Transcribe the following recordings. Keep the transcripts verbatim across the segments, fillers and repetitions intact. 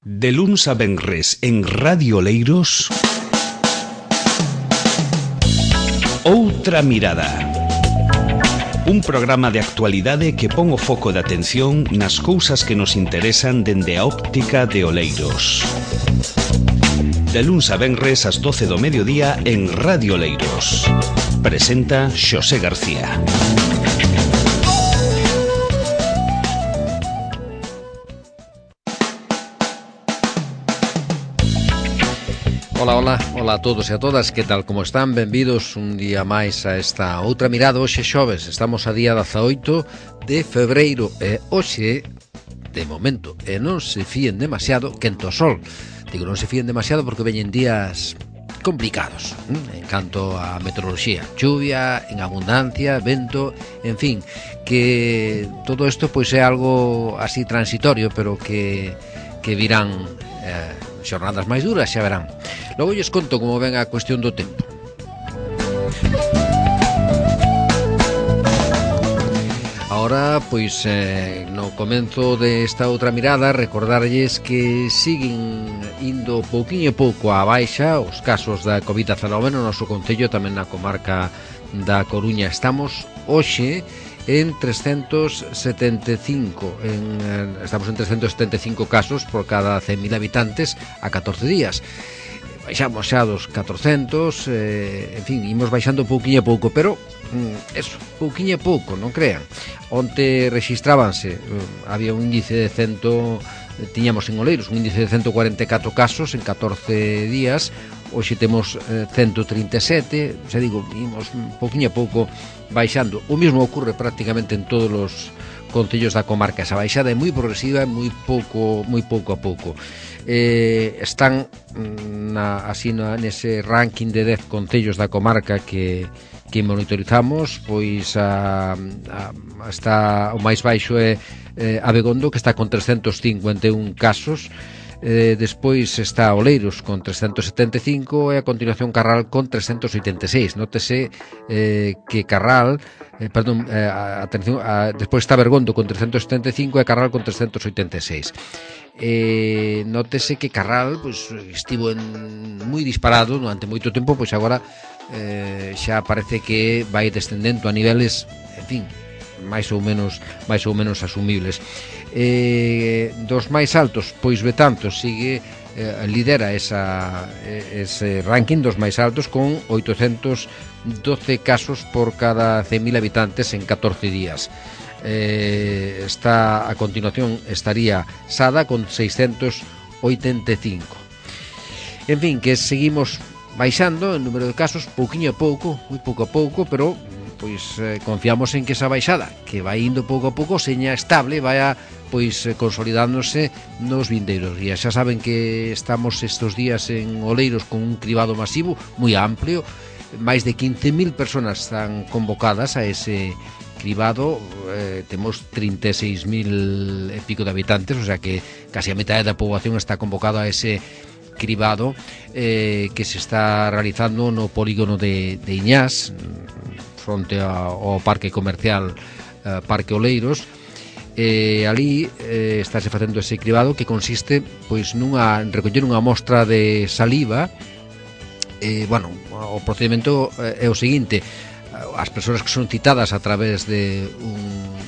De luns a venres en Radio Oleiros, Outra Mirada. Un programa de actualidade que pon o foco de atención nas cousas que nos interesan dende a óptica de Oleiros. De luns a venres ás doce do mediodía en Radio Oleiros. Presenta Xosé García. Ola, ola, ola a todos e a todas, que tal como están? Benvidos un día máis a esta Outra Mirada. Hoxe xoves, estamos a día dezaoito de febreiro e hoxe, de momento, e non se fíen demasiado, quento o sol. Digo, non se fíen demasiado porque veñen días complicados en canto a meteoroloxía, chuvia en abundancia, vento, en fin, que todo isto pois é algo así transitorio, pero que, que virán eh, xornadas máis duras, xa verán. Logo lles conto como ven a cuestión do tempo. Ahora, pois, eh, no comenzo desta outra mirada, recordarlles que siguen indo pouquiño pouco á baixa os casos da covid dezenove no noso concello, tamén na comarca da Coruña. Estamos hoxe en trescentos setenta e cinco, en, estamos en trescentos setenta e cinco casos por cada cen mil habitantes a catorce días. Baixamos xa dos catorcentos, eh, en fin, imos baixando pouquiño a pouco, pero mm, eso, pouquiño a pouco, non crean. Onte rexistrábanse, eh, había un índice de cento, eh, tiñamos en Oleiros un índice de ciento cuarenta e catro casos en catorce días. Hoxe temos eh, ciento trinta e sete, xa digo, imos pouquiño a pouco baixando. O mesmo ocorre prácticamente en todos os concellos da comarca. Esa baixada é moi progresiva, moi pouco, moi pouco a pouco. Eh, están na, así na, nese ranking de dez concellos da comarca que, que monitorizamos, pois a, a, está o máis baixo é eh, Abegondo, que está con trescentos cincuenta e un casos. Eh, despois está Oleiros con trescentos setenta e cinco e a continuación Carral con trescentos oitenta e seis. Nótese eh, que Carral eh, perdón, eh, atención, a, despois está Bergondo con trescentos setenta e cinco e Carral con trescentos oitenta e seis. Eh, nótese que Carral pois, estivo en, moi disparado durante moito tempo, pois agora eh, xa parece que vai descendendo a niveles, en fin, máis ou menos máis ou menos asumibles. Eh, dos máis altos, pois Betanzos sigue eh, lidera esa, ese ranking dos máis altos con oitocentos doce casos por cada cen mil habitantes en catorce días. Eh, está a continuación estaría Sada con seiscentos oitenta e cinco. En fin, que seguimos baixando en número de casos pouquiño a pouco, moi pouco a pouco, pero pois eh, confiamos en que esa baixada, que vai indo pouco a pouco, seña estable, vaya pois eh, consolidándose nos vindeiros días. Xa saben que estamos estes días en Oleiros con un cribado masivo moi amplio, máis de quince mil personas están convocadas a ese cribado, eh, temos trinta e seis mil e pico de habitantes, o sea que casi a metade da poboación está convocada a ese cribado eh, que se está realizando no polígono de, de Iñás, fronte ao parque comercial eh, Parque Oleiros. Eh, ali eh, estáse facendo ese cribado que consiste pois nunha recoller unha mostra de saliva. Eh, bueno, o procedimento é o seguinte: as persoas que son citadas a través de un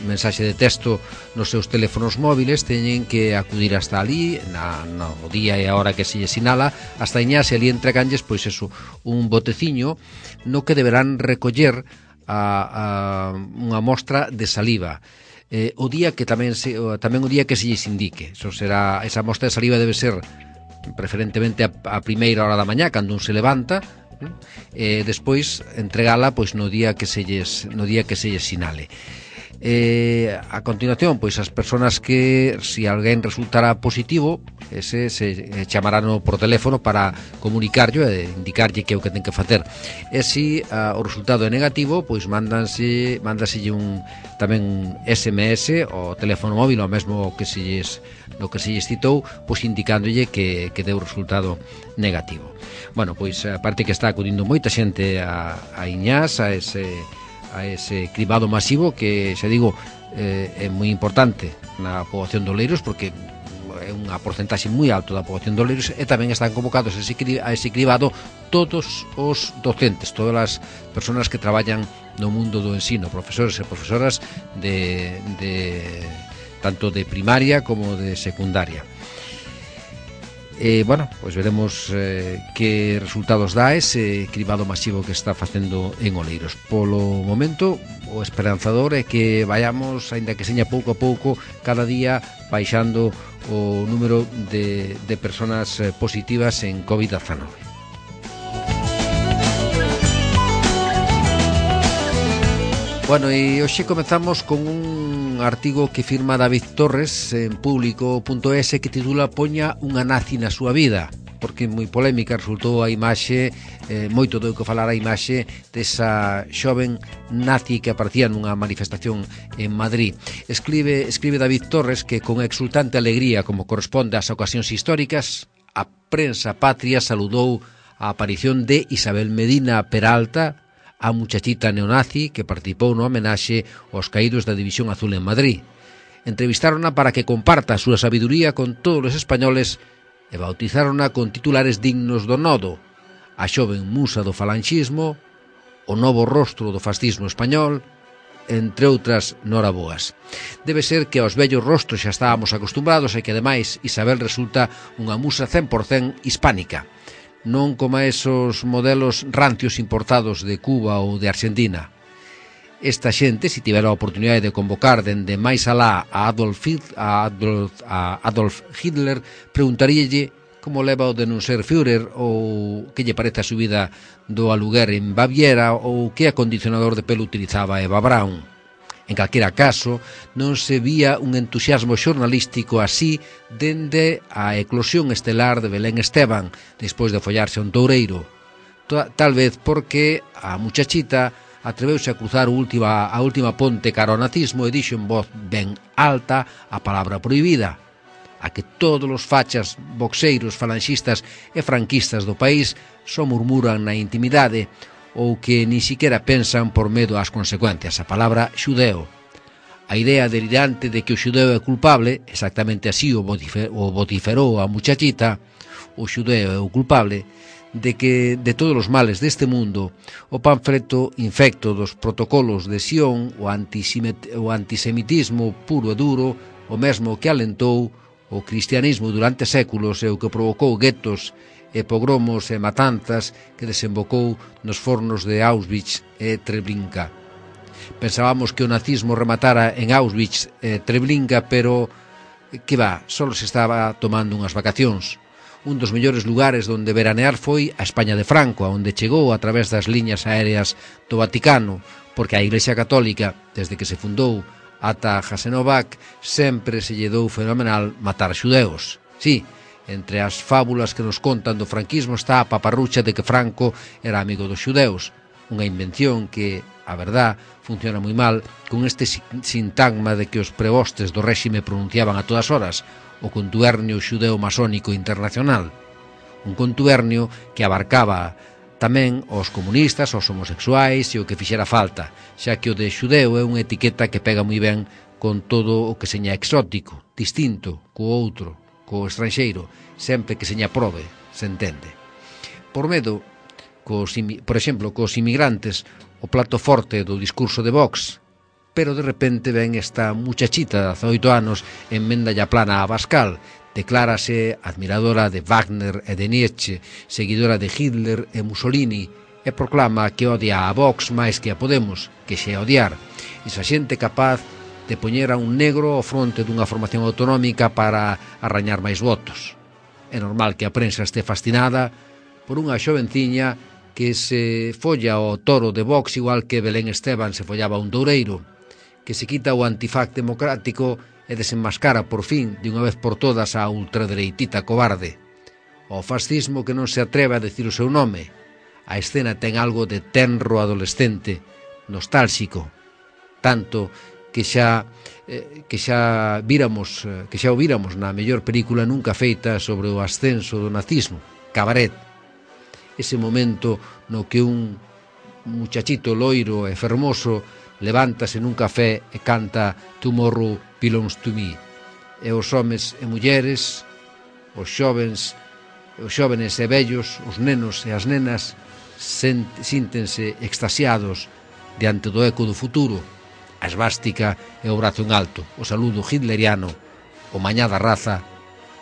mensaxe de texto nos seus teléfonos móviles teñen que acudir hasta ali na, no día e a hora que se lle sinala hasta Iñás, e ali entreganlles pois eso, un boteciño no que deberán recoller a, a unha mostra de saliva. Eh, o día que tamén se, tamén o día que se lles indique. Eso será, esa mostra de saliva debe ser preferentemente a, a primeira hora da mañá, cando un se levanta, e eh, despois entregala pois no día que se lles, no día que se lles sinale. Eh, a continuación, pois as persoas que, se alguén resultará positivo, ese se chamarán por teléfono para comunicarlo e indicarlle que é o que ten que facer. E se uh, o resultado é negativo, pois mándanse, mándaselle un tamén un S M S ao teléfono móvil, ao mesmo que se lles, no que se lles citou, pois indicándolle que, que deu o resultado negativo. Bueno, pois aparte que está acudindo moita xente a, a Iñás, a ese a ese cribado masivo que, xa digo, eh, é moi importante na poboación de Oleiros, porque é unha porcentaxe moi alto da poboación de Oleiros, e tamén están convocados a ese, a ese cribado todos os docentes, todas as persoas que traballan no mundo do ensino, profesores e profesoras de, de tanto de primaria como de secundaria. E, bueno, pois veremos eh, que resultados dá ese cribado masivo que está facendo en Oleiros. Polo momento, o esperanzador é que vayamos, aínda que seña pouco a pouco, cada día baixando o número de, de personas positivas en covid diecinueve. Bueno, e hoxe comezamos con un artigo que firma David Torres en público punto es que titula "Poña unha nazi na súa vida", porque moi polémica resultou a imaxe, eh, moito deu que falar a imaxe desa xoven nazi que aparecía nunha manifestación en Madrid. Escribe, escribe David Torres que con exultante alegría, como corresponde ás ocasións históricas, a prensa patria saludou a aparición de Isabel Medina Peralta, a muchachita neonazi que participou no homenaxe aos caídos da División Azul en Madrid. Entrevistárona para que comparta a súa sabiduría con todos os españoles e bautizárona con titulares dignos do nodo: a xoven musa do falanxismo, o novo rostro do fascismo español, entre outras noraboas. Debe ser que aos vellos rostros xa estábamos acostumbrados e que, ademais, Isabel resulta unha musa cen por cen hispánica, non como esos modelos rancios importados de Cuba ou de Argentina. Esta xente, se tivera a oportunidade de convocar dende máis alá a Adolf, a Adolf, a Adolf Hitler, preguntaríalle como leva o de non ser Führer, ou que lle parece a subida do aluguer en Baviera, ou que acondicionador de pelo utilizaba Eva Braun. En calquera caso, non se vía un entusiasmo xornalístico así dende a eclosión estelar de Belén Esteban, despois de follarse a un toureiro. Tal vez porque a muchachita atreveuse a cruzar a última, a última ponte cara ao nazismo e dixo en voz ben alta a palabra prohibida, a que todos os fachas, boxeiros, falanxistas e franquistas do país só murmuran na intimidade, ou que ni siquiera pensan por medo ás consecuencias, a palabra xudeo. A idea delirante de que o xudeo é culpable, exactamente así o vociferou a muchachita, o xudeo é o culpable, de que de todos os males deste mundo, o panfleto infecto dos protocolos de Sion, o, o antisemitismo puro e duro, o mesmo que alentou o cristianismo durante séculos e o que provocou guetos e pogromos e matanzas que desembocou nos fornos de Auschwitz e Treblinka. Pensábamos que o nazismo rematara en Auschwitz e Treblinka, pero que va, só se estaba tomando unhas vacacións. Un dos mellores lugares onde veranear foi a España de Franco, onde chegou a través das liñas aéreas do Vaticano, porque a Iglesia Católica, desde que se fundou ata Jasenovac, sempre se lle dou fenomenal matar xudeos. Sí, entre as fábulas que nos contan do franquismo está a paparrucha de que Franco era amigo dos xudeus, unha invención que, a verdad, funciona moi mal con este sintagma de que os prebostes do réxime pronunciaban a todas horas, o contubernio xudeo masónico internacional, un contubernio que abarcaba tamén os comunistas, os homosexuais e o que fixera falta, xa que o de xudeo é unha etiqueta que pega moi ben con todo o que seña exótico, distinto, co outro, co estranxeiro, sempre que seña probe, se entende. Por medo, cos, por exemplo, cos inmigrantes, o plato forte do discurso de Vox, pero de repente ven esta muchachita de dezaoito anos en mendalla plana a Abascal, declárase admiradora de Wagner e de Nietzsche, seguidora de Hitler e Mussolini, e proclama que odia a Vox máis que a Podemos, que xe odiar. Esa xente capaz de poñer a un negro ao fronte dunha formación autonómica para arrañar máis votos. É normal que a prensa este fascinada por unha xovenciña que se folla o toro de Vox igual que Belén Esteban se follaba un toureiro, que se quita o antifac democrático e desenmascara por fin, de unha vez por todas, a ultradereitita cobarde. O fascismo que non se atreve a decir o seu nome. A escena ten algo de tenro adolescente, nostálxico, tanto que xa eh, que xa víramos, eh, que xa o víramos na mellor película nunca feita sobre o ascenso do nazismo, Cabaret. Ese momento no que un muchachito loiro e fermoso levántase nun café e canta Tomorrow Belongs to Me. e os homes e mulleres, os xovens, os xóvenes e vellos, os nenos e as nenas síntense extasiados diante do eco do futuro, a esvástica e o brazo en alto, o saludo hitleriano, o mañá da raza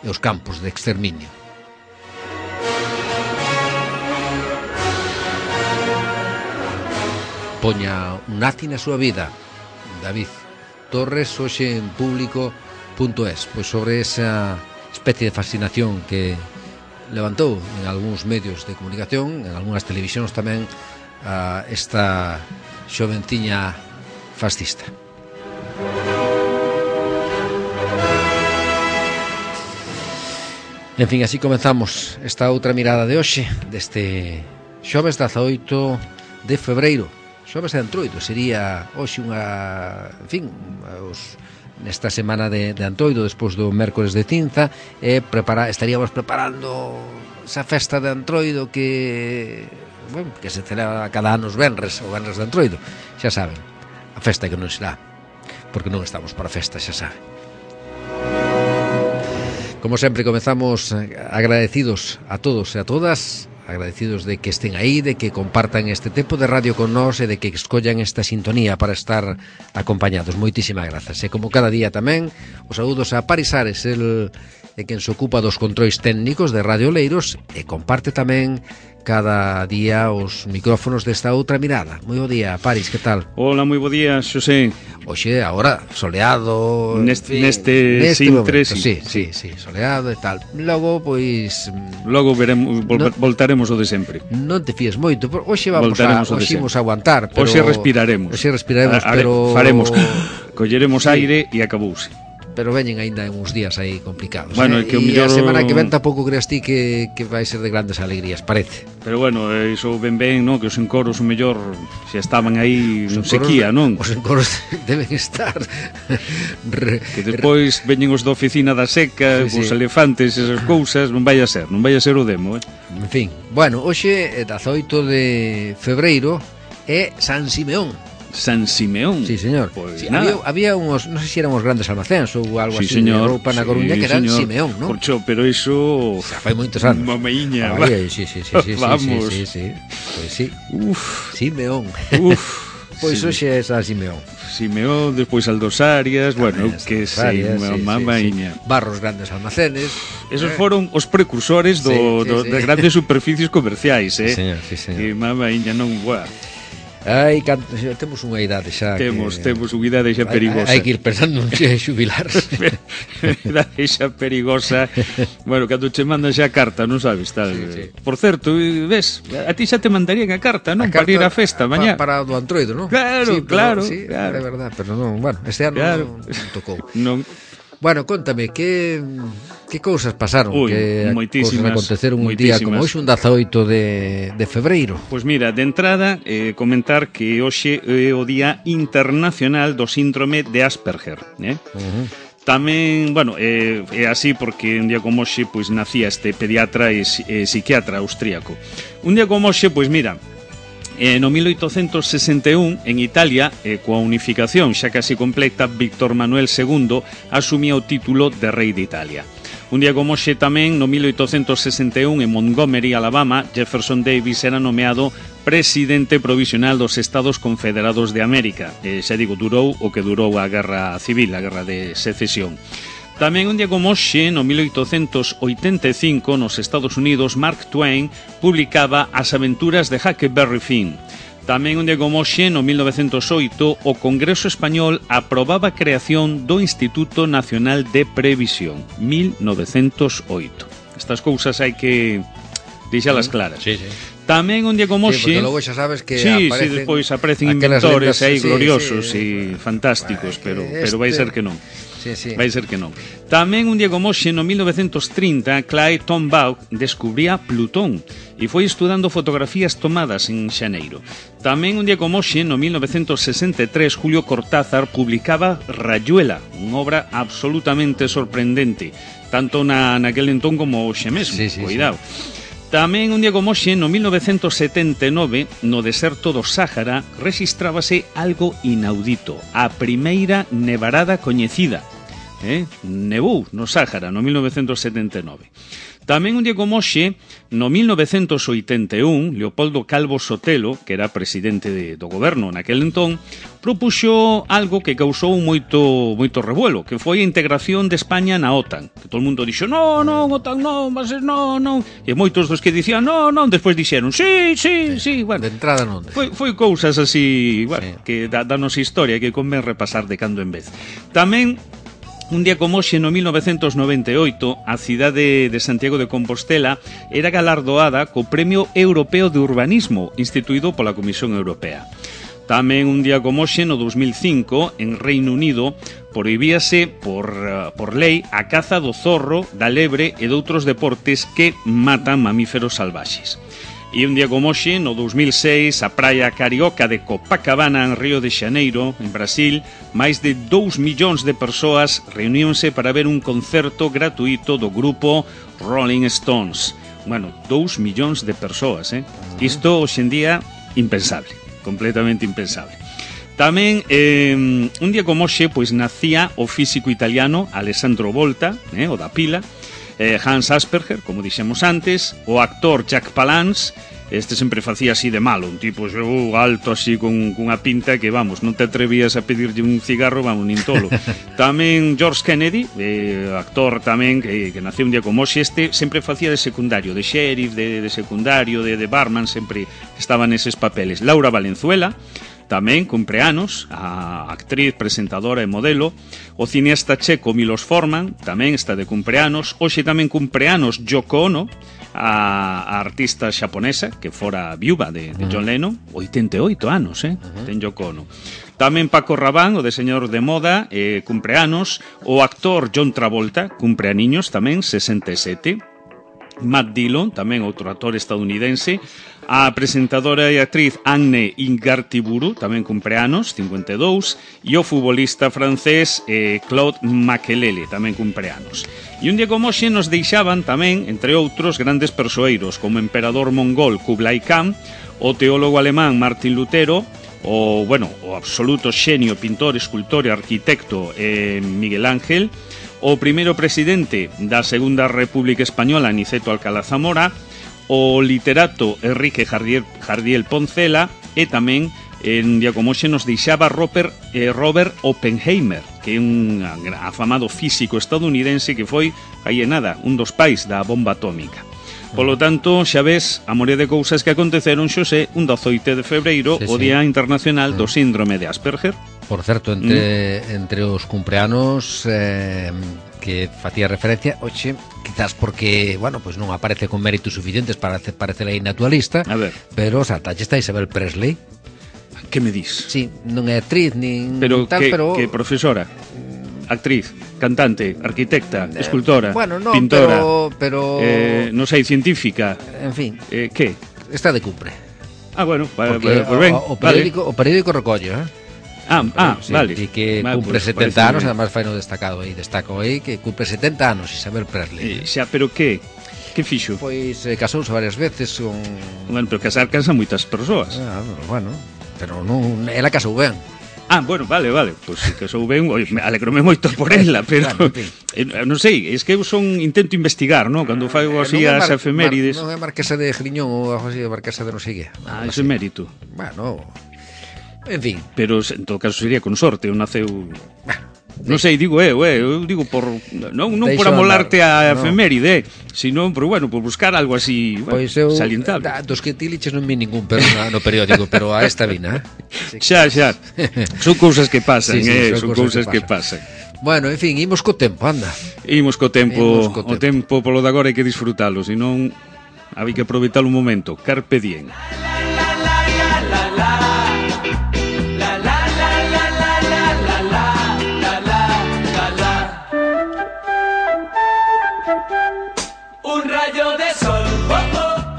e os campos de exterminio. Poña un nazi na súa vida, David Torres, hoxe en público punto es, pois sobre esa especie de fascinación que levantou en algúns medios de comunicación, en algunhas televisións tamén, a esta xovenciña fascista. En fin, así comenzamos esta outra mirada de hoxe, deste xoves dezaoito de febreiro. Xoves de Antroido sería hoxe unha, en fin, os, nesta semana de, de Antroido, despois do mércores de Cinza, e prepara, estaríamos preparando esa festa de Antroido que, bueno, que se celebra cada ano os venres, o venres de Antroido, xa saben, a festa que non será, porque non estamos para festa, xa saben. Como sempre, comezamos agradecidos a todos e a todas, agradecidos de que estén aí, de que compartan este tempo de radio con nós e de que escollan esta sintonía para estar acompañados. Moitísimas grazas. E como cada día tamén, os saúdos a Paris Ares, el é quen se ocupa dos controis técnicos de Radio Oleiros e comparte tamén cada día os micrófonos desta outra mirada. Moi bo día, Paris, que tal? Hola, moi bo día, Xosé. Oxe, agora, soleado... Neste, fin, neste, neste Sintre, momento, sí, sí, sí, soleado e tal. Logo, pois... Logo veremos, vol, no, voltaremos o de sempre. Non te fíes moito, pero hoxe vamos a, hoxe imos aguantar, pero... Hoxe respiraremos. Hoxe respiraremos, a, a, pero... Faremos, colleremos sí. aire e acabouse. Pero veñen aínda uns días aí complicados, bueno, eh? que o E millor... a semana que ven tampouco creas ti que, que vai ser de grandes alegrías, parece. Pero bueno, iso ben ben, non? Que os encoros o mellor xa estaban aí en sequía, non? Os encoros deben estar re, que despois veñen os da oficina da seca, sí, os sí. elefantes, esas cousas, non vai a ser, non vai a ser o demo, eh? En fin, bueno, hoxe é dezaoito de febreiro é San Simeón. San Simeón. Sí, señor. Pues sí, había, había unos, non sei se eran uns grandes almacéns ou algo sí, así señor, de roupa na Coruña, sí, que eran señor. Simeón, non? Corcho, pero iso... O sea, fai moitos anos. Mamaiña. Ah, sí, sí, sí, sí, vamos. Sí, sí, sí. Pois sí. Uf. Simeón. Uf. Pois sí. Hoxe é San Simeón. Simeón, despois Aldós Arias, bueno, que sei, sí, mamaiña. Sí, sí. Barros grandes almacenes. Esos foron os precursores do, sí, sí, do, sí. de grandes superficies comerciais, eh? Sí, señor, sí, señor. Que mamaiña non, buah. Ai, canto, temos unha idade xa Temos, que... temos unha idade xa perigosa. Hai que ir pensando en xe xubilar. Idade xa perigosa. Bueno, cando che mandan xa a carta, non sabes, tal. Sí, sí. Por certo, ves, a ti xa te mandarían a carta, non? A carta, para ir á festa mañá. Pa, para o Antroido, non? Claro, sí, pero, claro, sí, claro. É verdad, pero non, bueno, este ano claro. non, non tocou. Non. Bueno, contame, que que cousas pasaron? Uy, que cousas aconteceron un día como hoxe, un dezaoito de, de febreiro? Pois pues mira, de entrada, eh, comentar que hoxe é o Día Internacional do Síndrome de Asperger, eh? Uh-huh. Tamén, bueno, é, é así porque un día como hoxe pois nacía este pediatra e, e psiquiatra austríaco. Un día como hoxe, pois mira, Eh, no mil oitocentos sesenta e un, en Italia, eh, coa unificación xa casi completa, Víctor Manuel segundo asumía o título de rei de Italia. Un día como hoxe tamén, no mil oitocentos sesenta e un, en Montgomery, Alabama, Jefferson Davis era nomeado presidente provisional dos Estados Confederados de América. Eh, xa digo, durou o que durou a Guerra Civil, a Guerra de Secesión. Tamén un día como hoxe, no mil oitocentos oitenta e cinco, nos Estados Unidos, Mark Twain publicaba As aventuras de Huckleberry Finn. Tamén un día como hoxe, no mil novecentos oito, o Congreso Español aprobaba a creación do Instituto Nacional de Previsión. mil novecentos oito. Estas cousas hai que deixalas claras. Sí, sí. Tamén un día como hoxe... Sí, porque logo xa sabes que sí, aparecen... Sí, despois aparecen inventores aí sí, gloriosos sí, e fantásticos, bueno, pero, este... pero vai ser que non. Sí, sí. Vai ser que non. Tamén un día como hoxe, no mil novecentos trinta, Clyde Tombaugh descubría Plutón e foi estudando fotografías tomadas en xaneiro. Tamén un día como hoxe, no mil novecentos sesenta e tres, Julio Cortázar publicaba Rayuela, unha obra absolutamente sorprendente, tanto na, naquel entón como hoxe mesmo. Sí, sí, cuidado. Sí. Tamén un día como hoxe, no mil novecentos setenta e nove, no deserto do Sáhara, rexistrábase algo inaudito, a primeira nevarada coñecida. eh? Nevou no Sáhara no mil novecentos setenta e nove. Tamén un día como hoxe, no mil novecentos oitenta e un, Leopoldo Calvo Sotelo, que era presidente de, do goberno naquel entón, propuxo algo que causou moito moito revuelo, que foi a integración de España na OTAN. Que todo o mundo dixo, no, non, OTAN non, mas non, non. E moitos dos que dicían, no, non, despois dixeron, sí, sí, sí. Bueno, de entrada non. Foi, foi cousas así, bueno, sí, que da, da nosa historia que convén repasar de cando en vez. Tamén, un día como hoxe, no mil novecentos noventa e oito, a cidade de Santiago de Compostela era galardoada co Premio Europeo de Urbanismo, instituído pola Comisión Europea. Tamén un día como hoxe, no dos mil cinco, en Reino Unido, prohibíase por, por lei a caza do zorro, da lebre e de outros deportes que matan mamíferos salvaxes. E un día como hoxe, no dos mil seis, a praia carioca de Copacabana, en Río de Xaneiro, en Brasil, máis de dous millóns de persoas reuníonse para ver un concerto gratuito do grupo Rolling Stones. Bueno, dous millóns de persoas, eh? Isto, hoxe en día, impensable, completamente impensable. Tamén, eh, un día como hoxe, pois nacía o físico italiano Alessandro Volta, eh, o da pila, eh, Hans Asperger, como dixemos antes, o actor Jack Palance. Este sempre facía así de malo, un tipo uh, alto así con cunha pinta que, vamos, non te atrevías a pedirlle un cigarro, vamos, nin tolo. Tamén George Kennedy, eh, actor tamén que, que naceu un día como hoxe. Este sempre facía de secundario, de sheriff, de, de secundario, de, de barman, sempre estaba neses papeles. Laura Valenzuela tamén cumpre anos, a actriz, presentadora e modelo. O cineasta checo Milos Forman tamén está de cumpleanos. Hoxe tamén cumpleanos Yoko Ono, a, a artista xaponesa que fora viúva de, de John Lennon, oitenta e oito anos, eh? Uh-huh. Ten Yoko Ono. Tamén Paco Rabanne, o diseñador de moda, eh, cumpleanos. O actor John Travolta cumpleaniños tamén, sesenta e sete. Matt Dillon, tamén outro actor estadounidense. A presentadora e actriz Anne Ingartiburu tamén cumpleanos, cincuenta e dous. E o futbolista francés eh, Claude Makelele tamén cumpleanos. E un día como hoxe nos deixaban tamén, entre outros, grandes persoeiros como o emperador mongol Kublai Khan, o teólogo alemán Martín Lutero, o, bueno, o absoluto xenio, pintor, escultor e arquitecto eh, Miguel Ángel, o primeiro presidente da Segunda República Española Aniceto Alcalá Zamora, o literato Enrique Jardiel, Jardiel Poncela, e tamén en día como hoxe nos deixaba Robert, eh, Robert Oppenheimer, que é un afamado físico estadounidense que foi, aí en nada, un dos pais da bomba atómica. Polo tanto, xa ves, a morea de cousas que aconteceron, xosé, un dezoito de febreiro, sí, o Día sí. Internacional do Síndrome de Asperger. Por certo, entre, mm. entre os cumpleanos eh, que facía referencia, hoxe, quizás porque, bueno, pues non aparece con méritos suficientes para parecer aí na tua lista, a ver. Pero saltaxe está Isabel Presley. Que me dis? Sí, non é actriz nin pero tal, que, pero... que profesora, actriz, cantante, arquitecta, eh, escultora, bueno, no, pintora, pero, pero... Eh, non sei, científica. En fin. Eh, que? Está de cumple. Ah, bueno, vale, porque pues ben, o, o, periódico, vale. o periódico recollo, eh? Ah, ah, sí, vale. E que vale, cumpre pues, setenta anos, bien. además fai no destacado aí, destaco aí, que cumpre setenta anos Isabel Presley. Eh, xa, pero que? Que fixo? Pois eh, casouse varias veces con... Bueno, pero casar cansa moitas persoas. Ah, bueno, pero non, ela casou ben. Ah, bueno, vale, vale, pois pues, que casou ben, oi, alegrome moito por ela, pero claro, en fin. eh, non sei, es que eu son intento investigar, ¿no? Cando fago así eh, as mar, efemérides. Mar, non é Marquesa de Griñón ou algo así, Marquesa de non sei que. Ah, iso é mérito. Bueno, en fin. Pero en todo caso sería con sorte, eu naceu... Non sei, digo eu, eh, eu digo por non, non por amolarte a efeméride, no. Sino por, bueno, por buscar algo así, bueno, pois eu, salientable. Da, dos que tiliches non vi ningún pero no periódico, pero a esta vina, eh? Xa, xa. Son cousas que pasan, sí, sí, eh, son, son cousas que pasan. que pasan. Bueno, en fin, imos co tempo, anda. Imos co tempo, imos co tempo. O tempo polo de agora hai que disfrutalo, senón hai que aproveitar un momento. Carpe diem.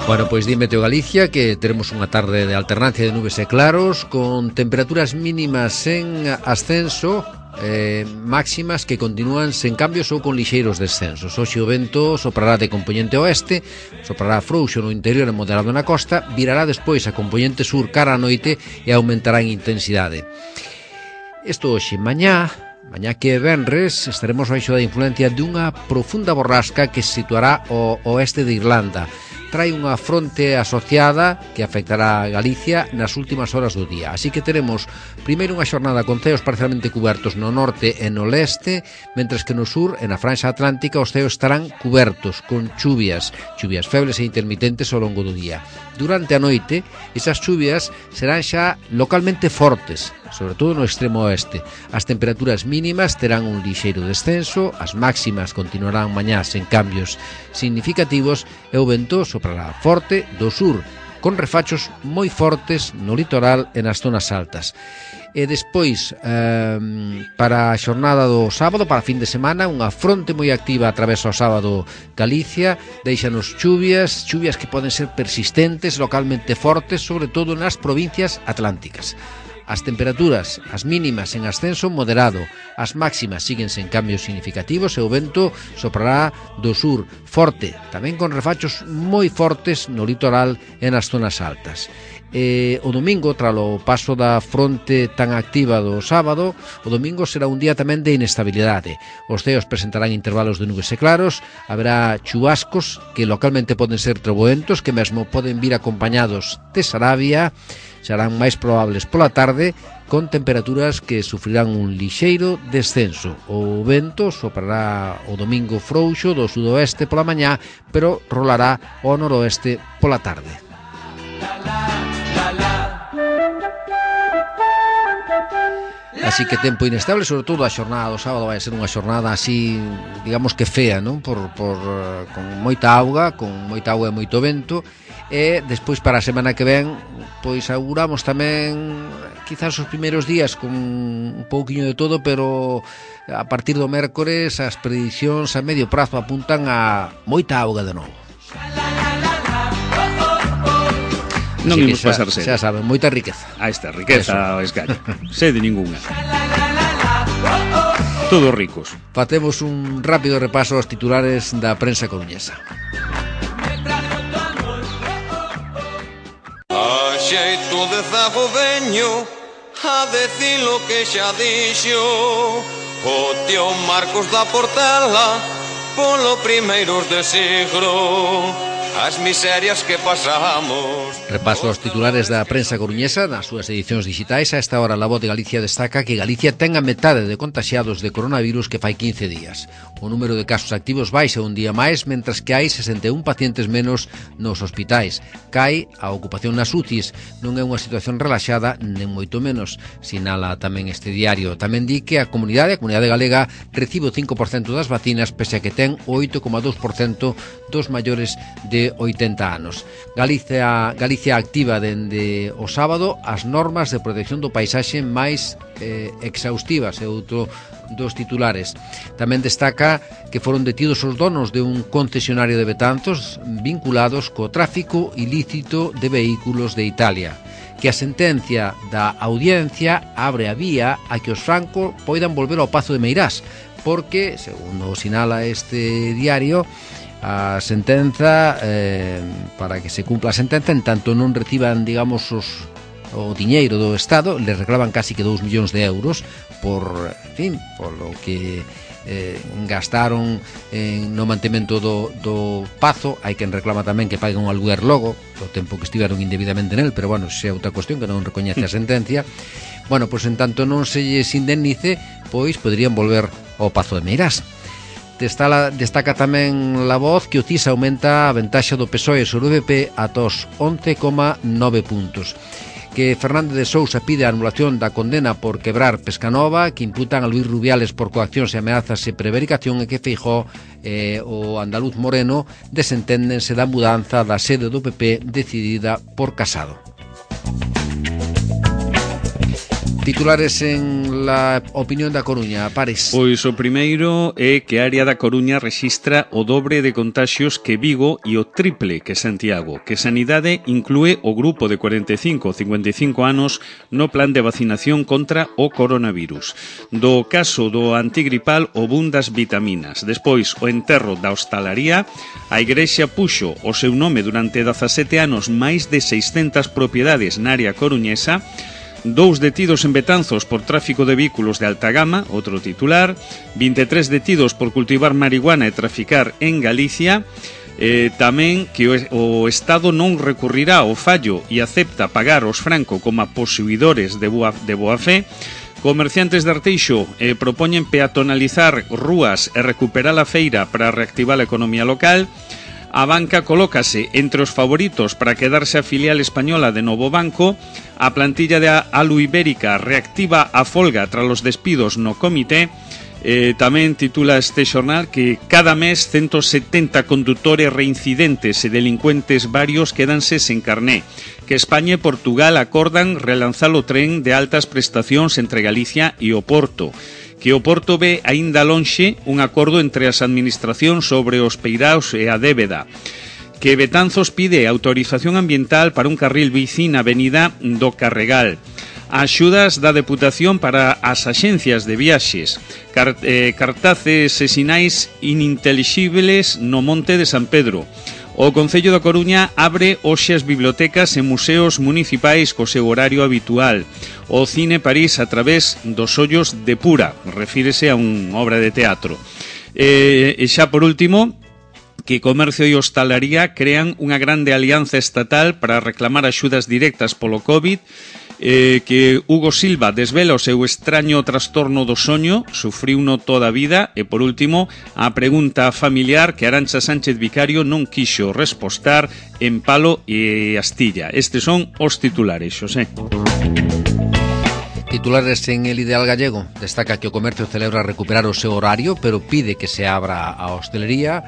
Bueno, pois di Meteo Galicia que teremos unha tarde de alternancia de nubes e claros con temperaturas mínimas en ascenso, eh, máximas que continúan sen cambios ou con lixeiros descensos. Hoxe o vento soprará de componente oeste, soprará frouxo no interior e moderado na costa, virará despois a componente sur cara a noite e aumentará en intensidade. Isto hoxe, mañá, mañá que é venres, estaremos baixo da influencia dunha profunda borrasca que se situará ao oeste de Irlanda. Trae unha fronte asociada que afectará a Galicia nas últimas horas do día. Así que teremos primeiro unha xornada con ceos parcialmente cubertos no norte e no leste, mentres que no sur e na franxa atlántica os ceos estarán cubertos con chuvias, chuvias febles e intermitentes ao longo do día. Durante a noite, esas chuvias serán xa localmente fortes, sobre todo no extremo oeste. As temperaturas mínimas terán un lixeiro descenso, as máximas continuarán mañás en cambios significativos e o vento soprará forte do sur, con refachos moi fortes no litoral e nas zonas altas. E despois, eh, para a xornada do sábado, para a fin de semana, unha fronte moi activa atravesa o sábado Galicia, deixanos chuvias, chuvias que poden ser persistentes, localmente fortes, sobre todo nas provincias atlánticas. As temperaturas, as mínimas en ascenso moderado, as máximas siguen sen cambios significativos e o vento soprará do sur forte, tamén con refachos moi fortes no litoral e nas zonas altas. E o domingo, tralo paso da fronte tan activa do sábado, o domingo será un día tamén de inestabilidade. Os ceos presentarán intervalos de nubes e claros, haberá chubascos que localmente poden ser treboentos, que mesmo poden vir acompañados de sarabia, serán máis probables pola tarde, con temperaturas que sufrirán un lixeiro descenso. O vento soprará o domingo frouxo do sudoeste pola mañá, pero rolará ao noroeste pola tarde. Así que tempo inestable, sobre todo a xornada do sábado vai ser unha xornada así, digamos que fea, non? Por, por, con moita auga, con moita auga e moito vento. E despois para a semana que ven, pois auguramos tamén quizás os primeiros días con un pouquiño de todo, pero a partir do mércores as predicións a medio prazo apuntan a moita auga de novo. Non imos pasar sede. Xa saben, moita riqueza. A esta riqueza o esgallo. Sede ninguna. Todos ricos. Facemos un rápido repaso aos titulares da prensa coruñesa. A xeito de zago veño a decir lo que xa dixo o tío Marcos da Portela polo primeiros de siglo. As miserias que pasamos. Repaso aos titulares da prensa coruñesa nas súas edicións digitais. A esta hora La Voz de Galicia destaca que Galicia ten a metade de contaxiados de coronavirus que fai quince días. O número de casos activos baixa un día máis, mentras que hai sesenta e un pacientes menos nos hospitais. Cai a ocupación nas U C Is. Non é unha situación relaxada, nen moito menos, sinala tamén este diario. Tamén di que a comunidade, a comunidade galega, recibe o cinco por cento das vacinas, pese a que ten o oito coma dous por cento dos maiores de oitenta anos. Galicia, Galicia activa dende o sábado as normas de protección do paisaxe máis eh, exhaustivas, é outro dos titulares. Tamén destaca que foron detidos os donos de un concesionario de Betanzos vinculados co tráfico ilícito de vehículos de Italia, que a sentencia da audiencia abre a vía a que os francos poidan volver ao Pazo de Meirás, porque, segundo sinala este diario, a sentenza, eh, para que se cumpla a sentenza, en tanto non reciban, digamos, os, o diñeiro do Estado, le reclaman casi que dous millóns de euros por, en fin, por lo que eh, gastaron en, no mantemento do, do Pazo. Hai quen reclama tamén que paguen un aluguer logo do tempo que estiveron indebidamente nel, pero bueno, xe é outra cuestión que non recoñece a sentencia. Bueno, pois en tanto non se lles indemnice, pois poderían volver ao Pazo de Meirás. Destaca tamén La Voz que o C I S aumenta a ventaxa do P S O E sobre o B P ata os once coma nove puntos. Que Fernández de Sousa pide a anulación da condena por quebrar Pescanova, que imputan a Luís Rubiales por coaccións e ameazas e prevaricación, e que Feijóo e o andaluz Moreno desenténdense da mudanza da sede do P P decidida por Casado. Titulares en La Opinión da Coruña, Pares. Pois o primeiro é que a área da Coruña rexistra o dobre de contaxios que Vigo e o triple que Santiago, que Sanidade inclúe o grupo de cuarenta e cinco a cincuenta e cinco anos no plan de vacinación contra o coronavirus. Do caso do antigripal o boom das vitaminas. Despois, o enterro da hostalaría, a Igrexa puxo o seu nome durante dezasete anos máis de seiscentas propiedades na área coruñesa. dous detidos en Betanzos por tráfico de vehículos de alta gama, outro titular, vinte e tres detidos por cultivar marihuana e traficar en Galicia. Eh, tamén que o, o Estado non recurrirá ao fallo e acepta pagar os Franco como posuidores de boa, de boa fe. Comerciantes de Arteixo eh, propoñen peatonalizar rúas e recuperar a feira para reactivar a economía local. A banca colócase entre os favoritos para quedarse a filial española de Novo Banco. A plantilla de Alu Ibérica reactiva a folga tras os despidos no comité. Eh, tamén titula este xornal que cada mes ciento setenta condutores reincidentes e delincuentes varios quedanse sen carné, que España e Portugal acordan relanzar o tren de altas prestacións entre Galicia e o Porto, que o Porto ve aínda lonxe un acordo entre as administracións sobre os peiraos e a débeda, que Betanzos pide autorización ambiental para un carril bici na avenida do Carregal, axudas da Deputación para as axencias de viaxes, Cart eh, cartaces e sinais inintelixibles no Monte de San Pedro. O Concello da Coruña abre hoxe as bibliotecas e museos municipais co seu horario habitual. O Cine París a través dos ollos de Pura, refírese a unha obra de teatro. E, e xa por último, que Comercio e Hostalaría crean unha grande alianza estatal para reclamar axudas directas polo COVID. Eh, que Hugo Silva desvela o seu extraño trastorno do soño, sufriuno toda a vida. E por último, a pregunta familiar que Arantxa Sánchez Vicario non quixo respostar en Palo e Astilla. Estes son os titulares, Xosé. Titulares en El Ideal Gallego. Destaca que o comercio celebra recuperar o seu horario, pero pide que se abra a hostelería.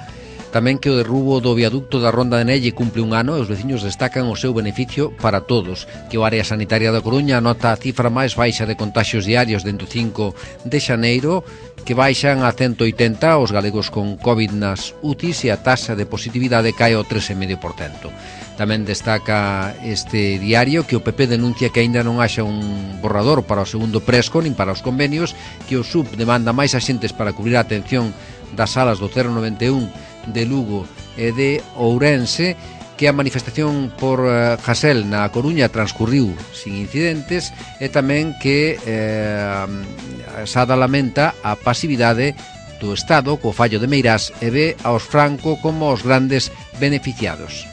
Tamén que o derrubo do viaducto da Ronda de Nelle cumple un ano e os veciños destacan o seu beneficio para todos. Que o área sanitaria da Coruña anota a cifra máis baixa de contaxios diarios dende o cinco de xaneiro, que baixan a ciento oitenta os galegos con COVID nas U T Is e a taxa de positividade cae ao tres vírgula cinco por cento. Tamén destaca este diario que o P P denuncia que aínda non haxa un borrador para o segundo Presco nin para os convenios, que o S U P demanda máis axentes para cubrir a atención das salas do cero noventa e un de Lugo e de Ourense, que a manifestación por uh, Hasel na Coruña transcurriu sin incidentes, e tamén que eh, Sada lamenta a pasividade do Estado co fallo de Meirás e ve aos Franco como os grandes beneficiados.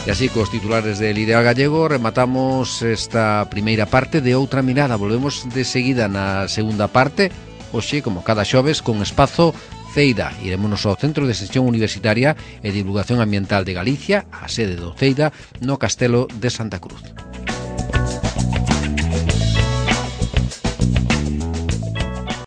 E así, cos titulares del Ideal Gallego, rematamos esta primeira parte de Outra Mirada. Volvemos de seguida na segunda parte, hoxe, como cada xoves, con espazo Ceida. Iremonos ao Centro de Extensión Universitaria e Divulgación Ambiental de Galicia, a sede do Ceida, no Castelo de Santa Cruz.